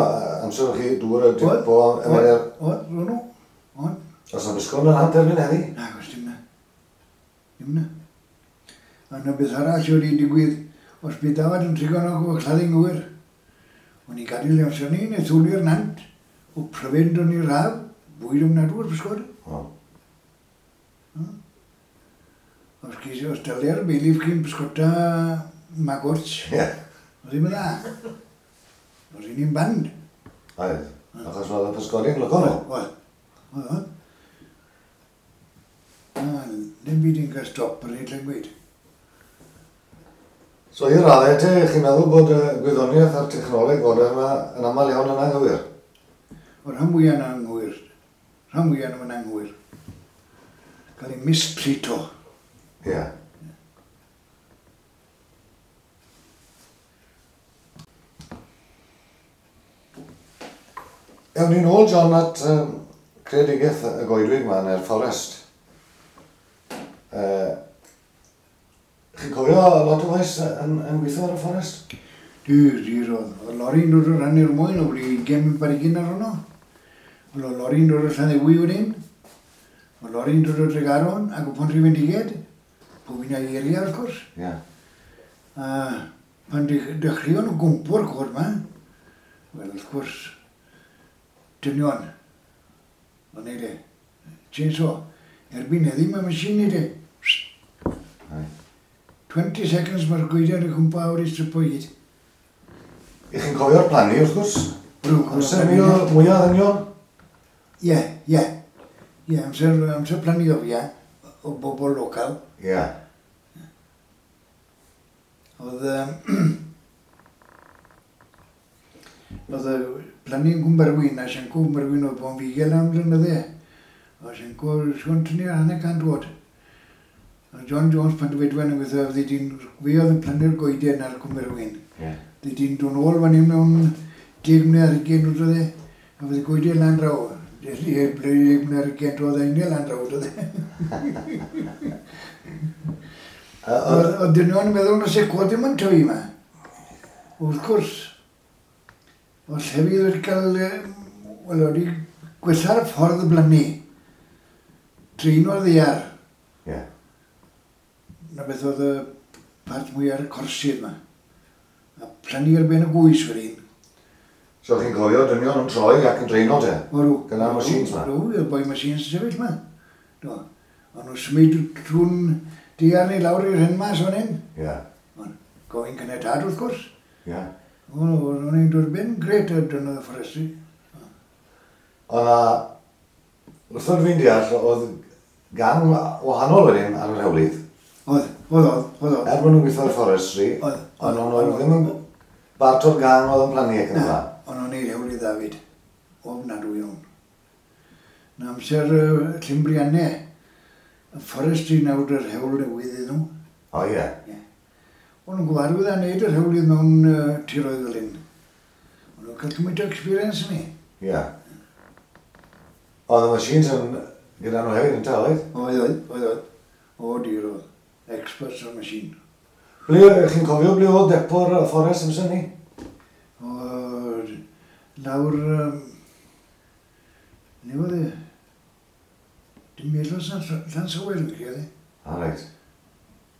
amser o'ch chi dŵr y dipo... Oedd, oedd, ro'n nhw, oedd. Oes na bysgod yn hanner erbyn heddi? Na, oes dim na. Dim na. A yna beth arall wedi digwydd, os bydd dafad yn trigo'n o claddu'n gywir. O'n i'n gadael amser ni, neu thwli'r nant, o pryfyn o'n i'r haf, bwyd ofnadwy o'r pysgod. O. Os, os dalia'r beilif chi'n pysgota maggots, Ie. oedd ddim yn dda. Oedd hi'n band. Oedd, achos oedd y pysgodi'n lyco nhw. Oedd, oedd, oedd. Na, ddim byd yn cael stop ar hyd le'n gweud. So i'r raddau te, chi'n meddwl bod y gwyddoniaeth a'r technoleg fodern yma yn aml iawn yn anghywir? O'r rhan fwyaf yn anghywir. Rhan fwyaf yn anghywir. Cael ei mistreato. Ie. Ewn ni'n ôl, John, at um, creadigaeth y goedwig yma neu'r fforest. Uh, chi'n cofio lot o waith yn, yn gweithio ar y fforest? Dir, dir oedd. Oedd lori'n dod o'r rhan i'r mwyn, o wedi ugain barigyn ar hwnnw. Oedd lori'n dod o'r Llanddewi wedyn. Oedd lori'n dod o Dregaron ac o Pontrhydfendigaid. Pob un a'i eria, wrth gwrs. Ie. Yeah. A pan dechreuon nhw gwmpo'r cod yma, wel, wrth gwrs, dynion. O'n neud e. Chainsaw. Erbyn heddi mae machine neud e. twenty seconds mae'r goeden yn cwmpa awr i stripo i gyd. I chi'n cofio'r plannu, wrth gwrs? Rwy'n Amser mwy mwyaf ddynion? Ie, ie. Ie, amser, amser plannu o fi, ie. O bobl local. Ie. Oedd... Oedd y plannu yn Cwmberwyn, a Sianco Cwmberwyn oedd bon figel am blynydde. A Sianco, Siôn tynnu ar hanner cant oed. A John Jones pan dywedwen yn gweithio, oedd di'n, fi oedd yn plannu'r goeden ar Cwmberwyn. Ie. Oedd di'n dod nôl fan hyn mewn deg mlynedd ar hugain oedd e, a fydd y goeden lan draw. Deg mlynedd ar hugain oedd e, un lan draw oedd e. Oedd dynion yn meddwl na se cod ddim yn tyfu yma. Wrth gwrs, oedd llefydd wedi cael, wel, wedi gwella'r ffordd blannu. Dreino'r ddaear. Ie. Na beth oedd y part mwyaf ar y corsydd yma. A plannu ar ben y gwys wedyn. So chi'n cofio dynion yn troi ac yn dreino te? Oedden. Gyda'r machines 'ma? Oedden, y boi machines yn sefyll 'ma. Do. O'n nhw'n symud trwy'n daear neu lawr i'r hyn mas fan hyn. Ie. Ond gofyn caniatâd wrth gwrs. Ie. O'n i'n dod ben gret ar dyna y forestry. Oedd na, wrth oed fi'n deall, oedd gang wahanol wedyn ar yr hewlydd. Oedd, oedd, oedd, oedd. Er bod nhw'n gweithio ar forestry, Oedd. ond nhw ddim yn bart o'r gang oedd yn plannu ac yn y blaen. O'n nhw'n neud hewlydd David. Ofnadwy iawn. Na amser uh, Llymbriannau, y forestry nawr yr hewl newydd iddyn nhw. O ie. Ie. O'n nhw'n gyfarwydd â wneud yr hewlydd mewn uh, tiroedd fel hyn. O'n nhw'n cael cymaint o experience ni. Ie. Oedd y machines yn gyda nhw hefyd yn ta, oedd? Oedd, oedd, oedd, oedd. O, dir oedd. Experts on machine. Ble, chi'n cofio ble oedd depo'r fforest amser ni? O, lawr... Um, le oedd e? Dim meddwl Llansawel yn credu. A reit.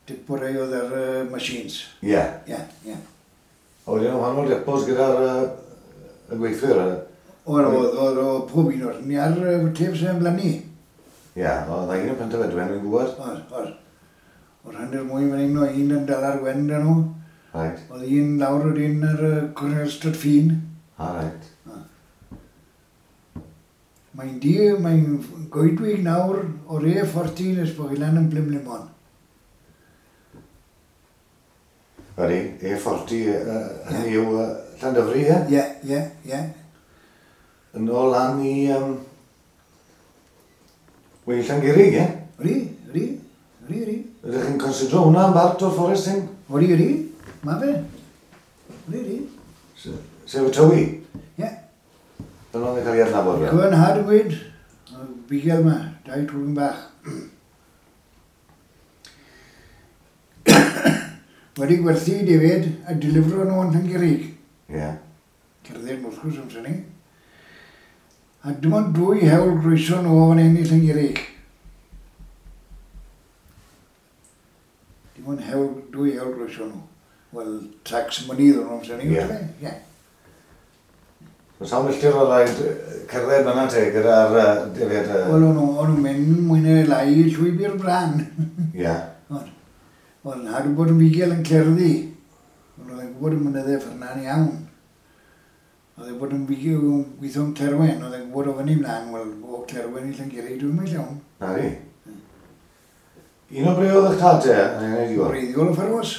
Depo rai oedd ar uh, machines. Ie. Ie, ie. A wedyn wahanol depos gyda'r uh, y gweithwyr. yy. Oedd, oedd, oedd, oedd pob un o'r... Ni ar uh, tef sy'n blannu. Ie, oedd na un yn Pentafedwen, fi'n gwybod. Oedd, oedd. Oedd hanner mwy fan hyn o un yn dal ar wen dyn nhw. Reit. Oedd un lawr o'r un ar uh, Cornel Stryd Ffin. A reit. Mae'n di, mae'n goedwig nawr o'r E forty nes bod chi lan yn Plimlimon. Ydy, E forty, uh, hynny yw uh, Llandyfri, ie? Ie, ie, ie. Yn ôl lan i... Um, Wel, Llangurig, ie? Ydy, ydy, ydy, ydy. Ydych chi'n considro hwnna yn bart o'r fforest hyn? Ydy, ydy, ma fe. Ydy, ydy. Sef y Tywi? Ie. Dyna oedd yn cael ei adnabod fe? Cofio'n nhad yn gweud, bugel yma, dau twrn bach. Wedi gwerthu defaid a delifro nhw yn Llangurig. Ie. Cerdded wrth gwrs amser ni. A dim ond dwy hewl groeso nhw o fan hyn i Llangurig. Dim ond hewl, dwy hewl groeso nhw. Wel, tax mynydd o'n amser ni. Ie. Ie. So sawl milltir o raid cerdded fyna te gyda'r uh, defaid? Uh... Wel, o'n nhw'n mynd mwy neu lai i llwybr brân. Ie. Ond, wel, nhad wedi bod yn fugel yn cerddi. Ond oedd e'n gwybod y mynyddau ffyrna'n iawn. Oedd e'n bod yn fugel yn gweithio yn Clerwen. Oedd e'n gwybod o fyny mlaen, wel, o Clerwen i Llangurig, dwi'n mynd iawn. Na fi. Un o ble oedd eich tad te yn ei wneud i Wreiddiol o Ffarwas.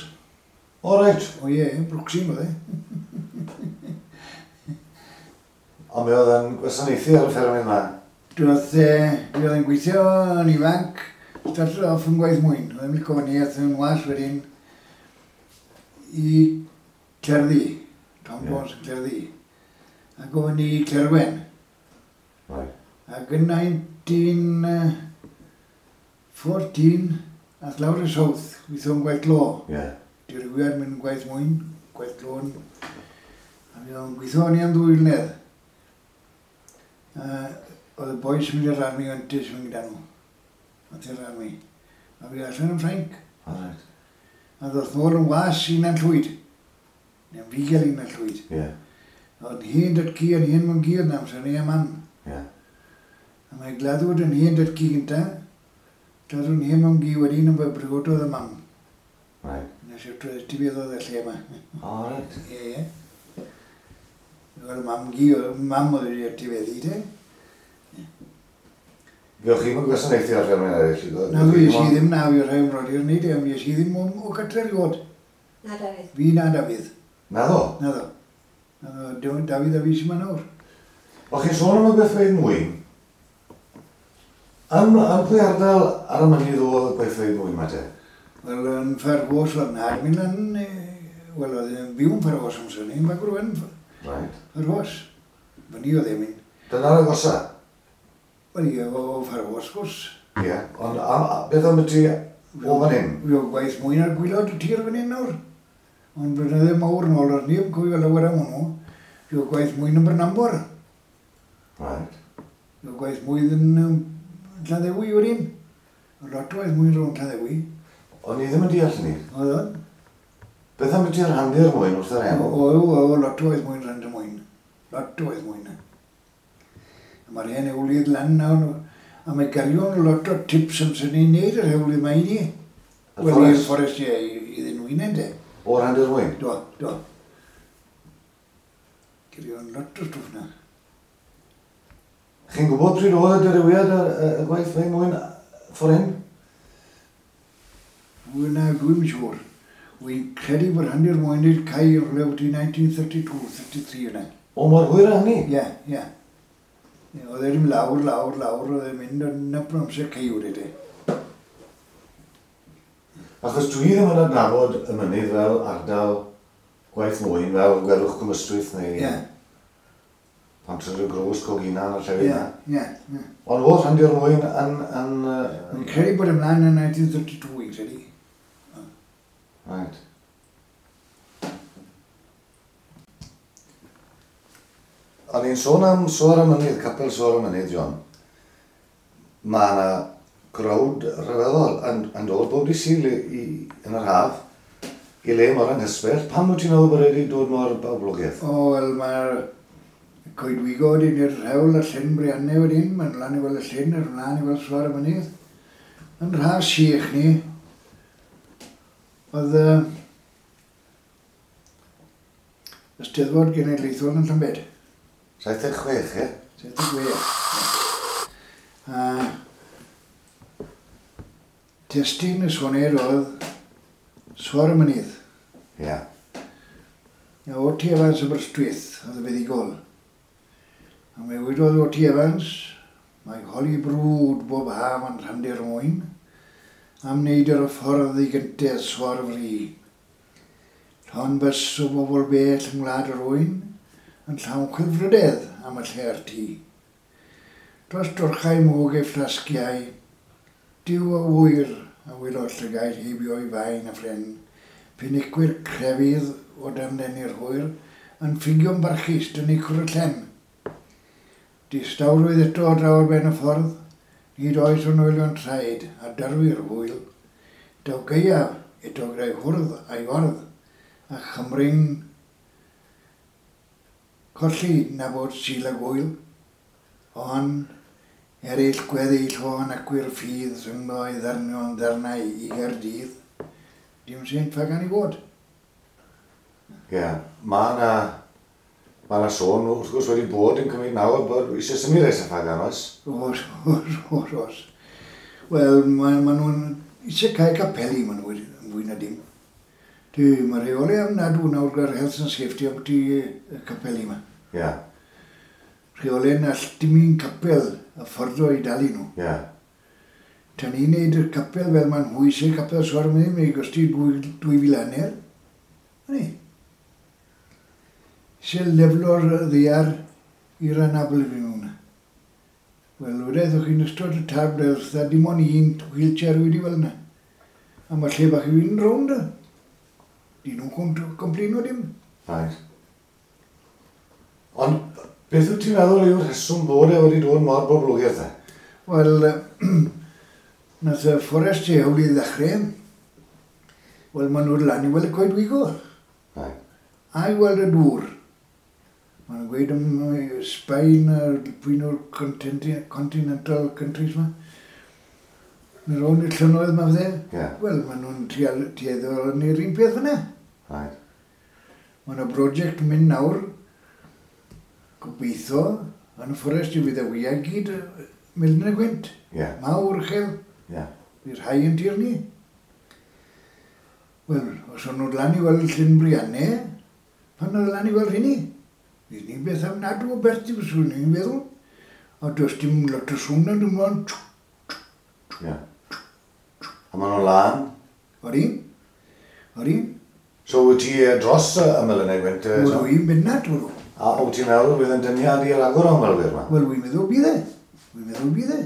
O, reit. O ie, Brooksyn oedd e. Ond mi oedd yn gwasanaethu ar y ffermydd yma? Doedd, mi oedd yn gweithio yn ifanc, started off yn gwaith mwyn. Oedd e'n licio fyny, aeth yn was wedyn i Cerddi, Tom Ie. Jones yn Cerddi. Ac o fyny i Clerwen. Right. Ac yn nineteen fourteen, ath lawr y South, gweithio yn gwaith glo. Ie. Dirywiad mynd yn gwaith mwyn, gwaith glo. A mi oedd yn gweithio ni am ddwy flynedd. Uh, oedd y boys yn mynd i'r army yn tis mynd gyda nhw. Oedd i'r army. A fi allan yn Ffrainc. O, reit. A ddoth nôl yn was i Nantllwyd. Neu'n fugel i Nantllwyd. Ie. Oedd hen datcu yn hen mewn gyr na amser ni a mam. Ie. A mae gladdwyd yn hen datcu gynta. Gladdwyd yn hen mewn gyr wedyn yn briododd y mam. Right. Nes i'r tifeddodd y lle yma. O, reit. Ie, ie. Wel, mam gi, mam oedd wedi etifeddu te. Fe o'ch chi'n gwasanaethu ar ffermydd eraill? Na, fi es i ddim na, fi rhai ymrodir ni, de, fi es i ddim o, o gatre erioed. Na, Dafydd. Fi na Dafydd. Na ddo? Na ddo. Na ddo, Dafydd a fi sy'n ma nawr. O'ch chi'n sôn am y gweithfeydd mwyn? Yn, yn pwy ardal ar y mynydd oedd y gweithfeydd mwyn ma te? Wel, yn Ffargos oedd nhad mynd lan, wel, oedd e'n byw yn Ffargos amser ni, yn Bagwr Wen. Right. Ffargos. Fyny oedd e'n mynd. Dyna'r agosa? Wel, ie, o Ffargos, gwrs. Ie, ond am, beth am y ti o fan hyn? Fi o gwaith mwyn ar gwylod y tir fan hyn nawr. Ond blynydde mawr yn ôl, ar ni yn cofio lawer am hwnnw, fuodd gwaith mwyn yn Brynambor. Right. Fuodd gwaith mwyn yn um, Llanddewi wedyn. Oedd lot o waith mwyn rownd Llanddewi. O'n i ddim yn deall ni. Oedd o? Beth am ydy'r rhannu'r mwyn wrth yr enw? O, o, o, lot o waith mwyn rhan y mwyn. Lot o waith mwyn. A mae'r hen hewlydd lan nawr, a mae garion lot o tips am sy'n ni'n neud yr hewlydd mae i ni. Y Wel, i'r fforest? fforest, ie, iddyn nhw unan de. O rhannu'r mwyn? Do, do. Garion lot o stwff na. Chi'n gwybod pryd oedd y dirywiad y, y, y gwaith fe mwyn ffordd hyn? Wel, na, dwi'm yn siŵr. Wy'n credu bod rhannu'r mwyn i'r cae rhywle wedi nineteen thirty-two, thirty-three yna. O, mor hwyr â hynny? Ie, ie. Ie, oedd e ddim lawr, lawr, lawr, oedd e'n mynd yn y amser caewr i. Achos dwi ddim yn adnabod y mynydd fel ardal gwaith mwyn, fel Gwelwch Cwm Ystwyth neu Ie, Pontrhydygroes, y Gros, Coginan a llefydd ie, yna. ie, ie. Ond oedd rhannu'r mwyn yn... yn yy, Wy'n credu bod ymlaen yn nineteen thirty-two, wy'n credu. Right. O'n i'n sôn am Soar y Mynydd, Capel Soar y Mynydd, John. Mae yna crowd rhyfeddol yn, yn dod bob dydd Sul i, i, yn yr haf i le mor anghysbell. Pam wyt ti'n meddwl bod wedi dod mor boblogaidd? O, wel, mae'r coedwigod yn i'r rhewl y llyn Briannau wedyn, mae'n lan i weld y llyn, yr mlaen i weld Soar y Mynydd. Yn rhas sych ni, oedd uh, y Steddfod Genedlaethol yn Llambed. Saith deg chwech, ie? Saith deg chwech. A testun y soned oedd Soar y Mynydd. Ie. A O T Evans Aberystwyth oedd y fuddugol. A mae wedodd O T Evans, mae holi brwd bob haf yn rhannu'r mwyn, am wneud yr ffordd i gyntaf Soar y Fri. Llon bys o bobl bell yng Ngwlad yr Oen, yn llawn chwilfrydedd am y lle'r tŷ. Dros dorchau mwg ei fflasgiau, Duw a ŵyr a welodd llygaid heibio i faen a phren, penicwyr crefydd o dan lenni'r hwyr, yn ffugio'n barchus dynnu cwr y llen. Distawrwydd eto draw ar ben y ffordd, nid oes o'n oelion traed a darfu'r hwyl. Daw gaeaf eto gyda'i hwrdd a'i ordd, a Chymru'n colli na bod Sul a gwyl, ond eraill gweddill o'n acwyr ffydd rhyngddo i ddarnion ddarnau i Gaerdydd, dim sy'n ffagan i fod. Ie, yeah. Mae yna ma na sôn, wrth gwrs, wedi bod yn cymryd nawr bod eisiau symud rhai Ffagan, oes? Oes, oes, oes, oes. Wel, ma, ma nhw'n eisiau cael capeli, ma nhw yn fwy na dim. Dwi, mae rheoli ofnadw nawr gyda'r health and safety am ti y capeli yma. Ie. Yeah. Rheoli na all dim un capel y fforddo i dalu nhw. Ie. Yeah. Tan ni'n neud y capel fel ma'n nhw eisiau capel Soar y Mynydd, mae'n gosti dwy fil hanner. Ni. Eisiau leflo'r ddiar i'r anabl i fi mewn. Wel, wededd o'ch chi'n ystod y tab, wrth dim ond un wheelchair wedi fel yna. A mae lle bach i fynd rownd. Di nhw'n complino dim. Right. Ond beth wyt ti'n meddwl yw'r rheswm bod e wedi dod mor boblogaidd te? Wel, nath y fforest i hewl i ddechrau. Wel, maen nhw'n lan i weld y coedwigo. Right. A i weld y dŵr. Maen nhw'n gweud am Sbaen a pwy nhw'r continental countries ma. Mae'n rownd i'r llynnoedd ma fydde. Yeah. Wel, maen nhw'n tueddol yn yr un peth fyna. Right. Mae yna brosiect yn mynd nawr, gobeithio, yn y fforest i fydd y wyau gyd Milne y Gwynt. Yeah. Mawr uchel. Yeah. Bydd rhai yn tir ni. Wel, os o'n nhw'n lan i weld Llyn Briannau, pan o'n lan i weld hynny? Bydd ni'n beth ofnadw o bert i fyswn ni'n feddwl. A does dim lot o sŵn na dim ond. Yeah. A maen nhw'n lan? Odi. Odi. So wyt ti dros y Melynau Gwynt? Wel, wy'n bennat, wyt. A wyt ti'n meddwl bydd yn dyniad i ragor o ymwelwyr yma? Wel, wy'n meddwl bydd e. Wy'n meddwl bydd e.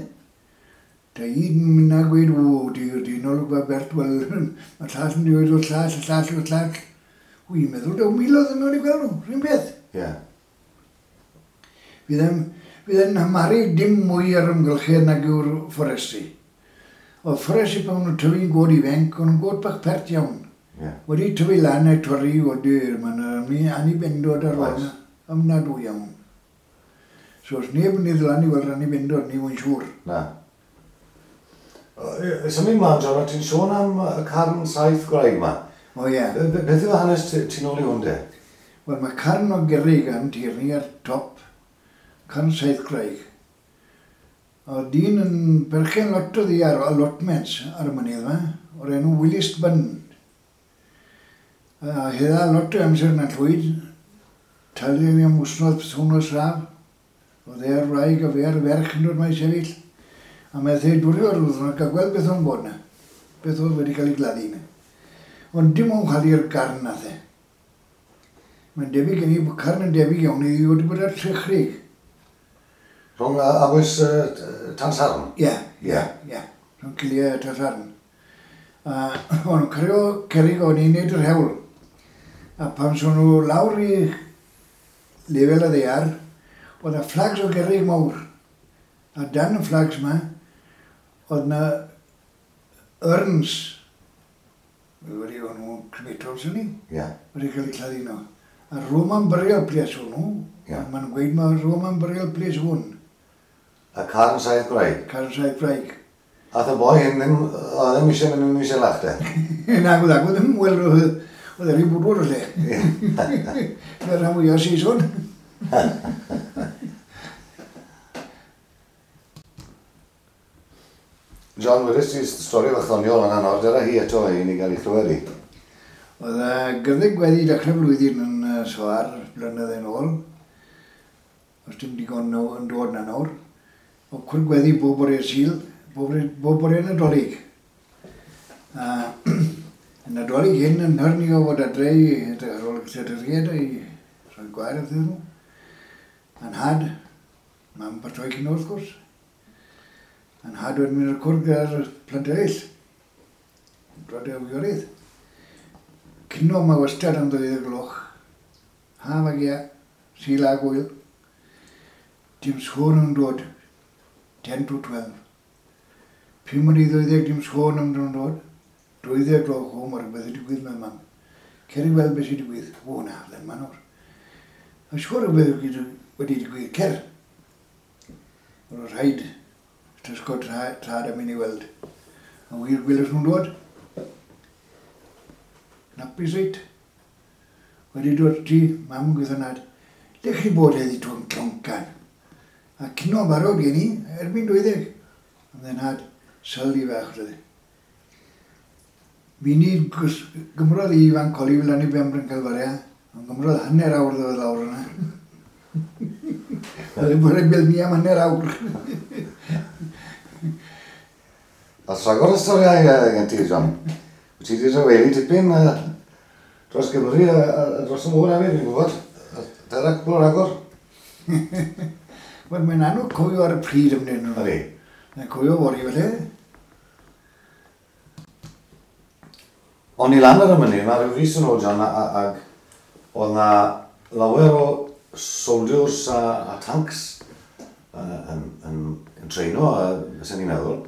Da un mynd a gweud, o, di, di nôl gwa Bert, wel, mae llall yn dweud o'r llall, y llall o'r llall. Wy'n meddwl, daw miloedd yn nhw'n i gweld nhw, rhywun beth. Ie. Yeah. Fydd e'n fydd e'n amaru dim mwy ar ymgylchedd nag yw'r fforesti. Oedd fforesti pan nhw'n tyfu'n god ifanc, o'n nhw'n god bach pert iawn. Yeah. Wedi tyfu lan a torri o dyr, mae'n anibendod ar ôl yna, ymnadwy iawn. So os neb yn ei lan i weld anibendod, ni wy'n siŵr. Na. Symud mlaen, John, ti'n sôn am y carn saith gwraig yma. O ie. Beth yw hanes ti'n ôl i hwn de? Wel, mae carn o gerrig am tir ni ar top, carn saith gwraig. Oedd dyn yn berchen lot o ddi ar allotments ar y mynydd yma, o'r enw Willis Bunn. A hedda lot o amser yn llwyd, talu ni am wsnos, pythwnos raf. Oedd e ar wraig a fe ar ferch yn dod mae sefyll. A mae e dwrio'r wythnos a gweld beth o'n bod na. Beth oedd wedi cael ei gladdu yna. Ond dim ond chwalu'r garn nath e. Mae'n debyg gen i bod carn yn debyg iawn i wedi bod ar Trechrig. Rhwng abwys Tansarn? Ie, ie, ie. Rhwng Cilia a Tansarn. A o'n nhw'n cario cerrig o'n i'n neud yr hewl. A pan son nhw lawr i lefel y ddaear, oedd y flags o gerrig mawr. A dan y flags yma, oedd na urns. Wedi o'n nhw'n crematols yn ni. Ie. Wedi cael eu claddu nhw. A Roman burial place o'n nhw. Ie. Maen nhw'n gweud mae Roman burial place hwn. A carn saith gwraig? Carn saith gwraig. Ath y boi hyn ddim, oedd ddim eisiau mynd yn eisiau lach de? Nag oedd, oedd ddim, wel, oedd e rhy bwdwr o lle. Fe rhan fwyaf Saeson. John, wedys ti stori fach ddoniol yna nawr, dyna hi eto i ni gael ei chlywed i. Oedd y gyddeg wedi dechrau flwyddyn yn Soar, blynedd yn ôl. Os dim digon yn dod na nawr. O cwrdd gweddi bob bore Sul, bob, bob bore Nadolig. A yn Nadolig hyn yn hyrni o fod adre i edrych ar ôl clederiad i rhoi gwair iddyn nhw. A'n had, mam patroi cyn wrth gwrs. A'n had wedi mynd i'r cwrdd gyda'r plant eraill. Dod e wiorydd. Cino mae wastad am ddwy gloch. Haf ag ia, Sul a gwyl. Dim sôn yn dod. ten to twelve. Pum i ddeuddeg dim sôn am yn dod. Deuddeg gloch o, mae rhywbeth wedi digwydd mewn mam. Cer i weld beth sy'n digwydd. O na, ddim ma nawr. A siŵr rhywbeth wedi digwydd. Cer. Oedd rhaid tysgo trad am mynd i weld. A wir gwelais nhw'n dod. Napus reit. Wedi dod ti, mam yn gweithio nad. Le chi bod heddi tw'n cloncan? A cino barod gen i, erbyn dwyddeg. Ond then had sylwi fach roedd. Mi ni gymrodd i fan coli fel lan i Bembryn Calfaria, ond gymrodd hanner awr ddod lawr yna. Oedd e'n bod yn gweld ni am hanner awr. A rhagor o storiau gen ti, John. Wyt ti wedi rhyfelu tipyn dros Gymru a dros y môr hefyd, fi'n gwybod. Dyna cwpl o ragor. Wel, mae'n anodd cofio ar y pryd ymwneud nhw. Ydy. Mae'n cofio fory felly. O'n i lan ar y mynydd, mae rhyw fis yn ôl, John, ag oedd na lawer o soldiers a, a tanks yn, yn, yn treino, fysen ni'n meddwl.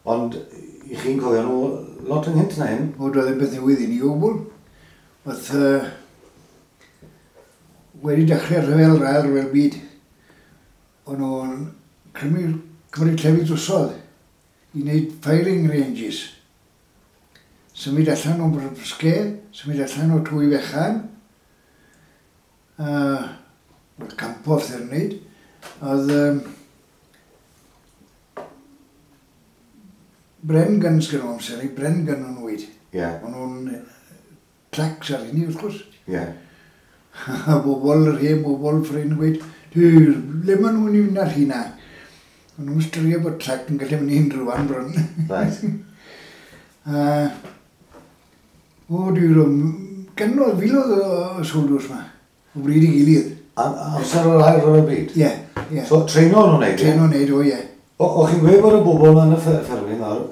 Ond i chi'n cofio nhw lot ynghynt na hyn? O, doedd ddim beth newydd i ni o gwbl. Oedd uh, wedi dechrau rhyfel ail rhyfel byd. O'n nhw'n cymryd, cymryd llefydd drosodd i wneud firing ranges. Symud allan o'n Brysge, symud allan o Twy Fechan, uh, wel, campo wrth i'r wneud. Oedd um, Bren guns gyda nhw amser, Bren gun o'n nhw. Yeah. O'n nhw'n tracks ar hynny, wrth gwrs. Yeah. A bobl, yr hen bobl ffrind gweud, le maen nhw'n mynd ar hynna? O'n nhw'n ystyried bod trac yn gallu mynd i unrhyw fan bron. Right. A, o, dwi'n gannodd filoedd o soldiers ma, o bryd i gilydd. Amser o'r ail rhyfel byd? Ie, ie. So, treino nhw'n neud? Treino neud, o ie. O, o chi'n gweud bod y bobl yma yn y ffermydd nawr,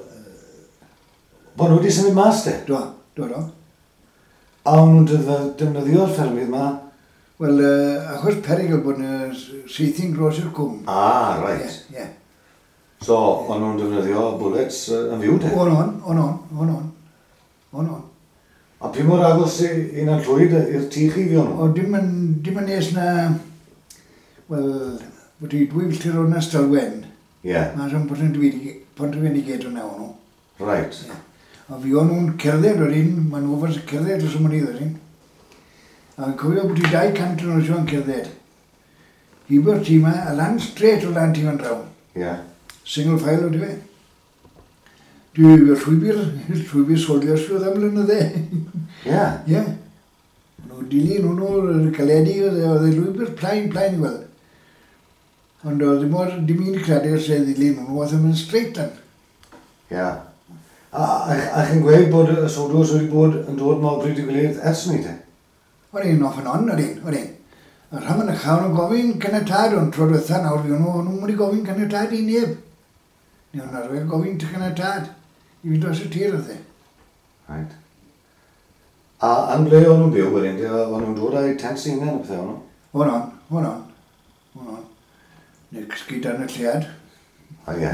bod nhw wedi symud mas de? Do, do, do. A o'n nhw'n defny- defnyddio'r ffermydd ma? Wel, uh, achos perygl bod yna saethu'n dros i'r cwm. Ah, right. Ie, ie. So, o'n nhw'n defnyddio bullets uh, yn fyw te? O'n on, o'n on, o'n on. O'n on. A pi mor agos i i Nantllwyd i'r tŷ chi fuon nhw? O, dim yn, dim yn nes na, wel, bod i dwy filltir o Stalwen. Ie, Mas o'n Pontrhyfenigate o'na o'n nhw. right. A fi o'n nhw'n cerdded o'r un, ma'n nhw fas cerdded dros y mynydd o'r un. A yn cofio bod i dau cant yn oes o'n cerdded. Heibio'r tŷ 'ma, a lan straight o lan tŷ fan draw. Ie. Single file o fe. Dwi llwybr, llwybr soldiers oedd am blynydde. Ie. Ie. Nhw dilyn hwnnw, caledu, oedd e- oedd e lwybr plaen, plaen i weld. Ond oedd dim o'r dim un creadur sydd ddilyn hwnnw, oedd yn mynd straight lan. Ie. A, a, a chi'n gweud bod y soldiers wedi bod yn dod ma o bryd i gilydd ers ni te? O'n i'n off and on, o'n i'n, o'n i'n. A rhan yn y chawn yn gofyn caniatâd, ond tro diwetha nawr fi nhw, o'n nhw'n wedi gofyn caniatâd i neb. Ni o'n arfer gofyn caniatâd i fynd dros y tir oedd e. Right. A yn ble o'n nhw'n byw wedyn, te? O'n nhw'n dod â'u tents eu hunain a pethau o'n nhw? O'n on, o'n on, o'n on. Neu cysgu dan y lleuad. A ie.